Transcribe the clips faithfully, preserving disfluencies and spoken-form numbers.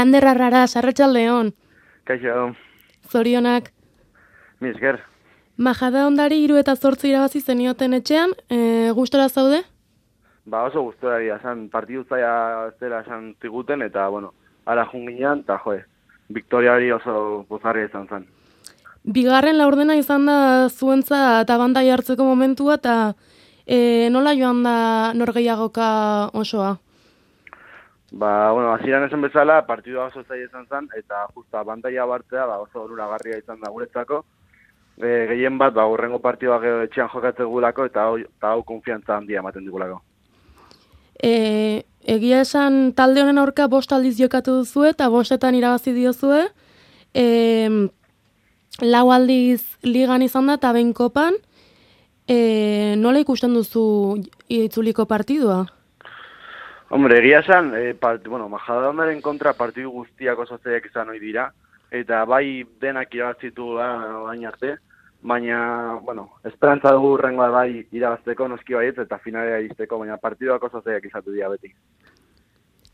Ander Arraras, arratsaldeon. Kaixo. Zorionak. Mi esker. Majada ondari hiru eta zortzi irabazi zenioten etxean, e, gustora zaude? Ba oso gustora dira, esan partidu zaila zela esan ziguten, eta, bueno, ara junginan, eta joe, Victoria hori oso pozarria izan zen. Bigarren laurdena izan da zuentza eta bandai hartzeko momentua, eta e, nola joan da norgehiagoka osoa? Ba, bueno, hasieran esan bezala, partidua oso zaila izan zen, eta justa bandaia bartzea ba, oso onuragarria izan da guretzako. E, gehien bat, ba, urrengo partidua gero etxean jokatzen gulako, eta hau, eta hau konfiantza handia ematen digulako. E, egia esan talde honen aurka bost aldiz jokatu duzue, eta bostetan irabazi diozue. E, lau aldiz ligan izan da, eta behin kopan. E, nola ikusten duzu itzuliko partidua? Hombre, egia esan, e, part, bueno, Majadahondarren kontra partidu guztiak oso zaiak izan ohi dira, eta bai denak irabazitu baina arte, baina, bueno, esperantza dugu urrengoa bai irabazteko noski baietz eta finalera iristeko, baina partiduak oso zaiak izatu dira beti.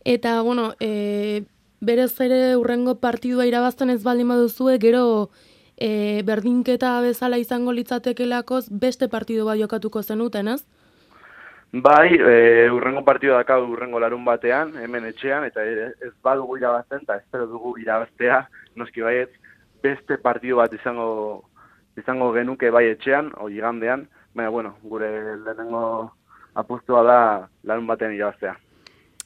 Eta, bueno, e, berez ere urrengo partidua irabazten ez baldin baduzue, gero e, berdinketa bezala izango litzatekelakoz beste partidu bat jokatuko zenuten, ez? Bai, e, urrengo partidua dakau urrengo larun batean, hemen etxean, eta ez badugu irabazten, eta espero dugu irabaztea, noski baietz, beste partidu bat izango izango genuke bai etxean, o igandean, baina, bueno, gure lehenengo apustua da larun batean irabaztea.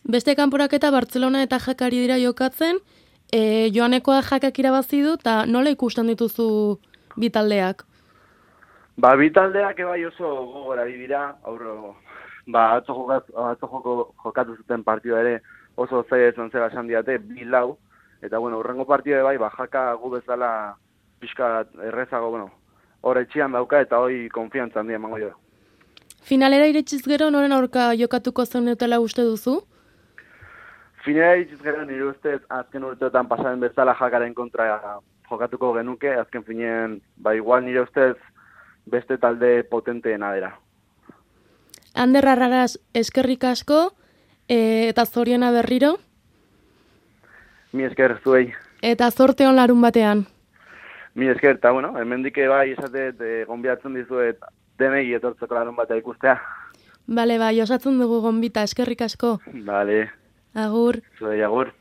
Beste kanporaketa Bartzelona eta Jakari dira jokatzen, e, joanekoa Jakak irabazi du, eta nola ikusten dituzu bi taldeak? Ba, bi taldeak ebai oso gogora dira, aurro, ba, atzo, jokat, atzo joko, jokatu zuten partidua ere oso zaila izan zela esan diate, bi lau, eta, bueno, urrengo partidua bai, ba, Jaka gu bezala pixka errezago, bueno, hor etxean dauka eta hoi konfiantza handia emango jo. Finalera iretsiz gero noren aurka jokatuko zenutela uste duzu? Finalera iretsiz gero nire ustez azken urteotan pasaren bezala Jakaren kontra jokatuko genuke, azken finean, ba, igual nire ustez beste talde potenteena dira. Ander Arraras, eskerrik asko, e, eta zoriona berriro. Mi esker zuei. Eta zorte on larun batean. Mi esker, eta bueno, hemendik bai esatet e, gonbiatzen dizuet denei etortzeko larun batea ikustea. Bale, bai, osatzen dugu gonbita, eskerrik asko. Bale. Agur. Zuei, agur.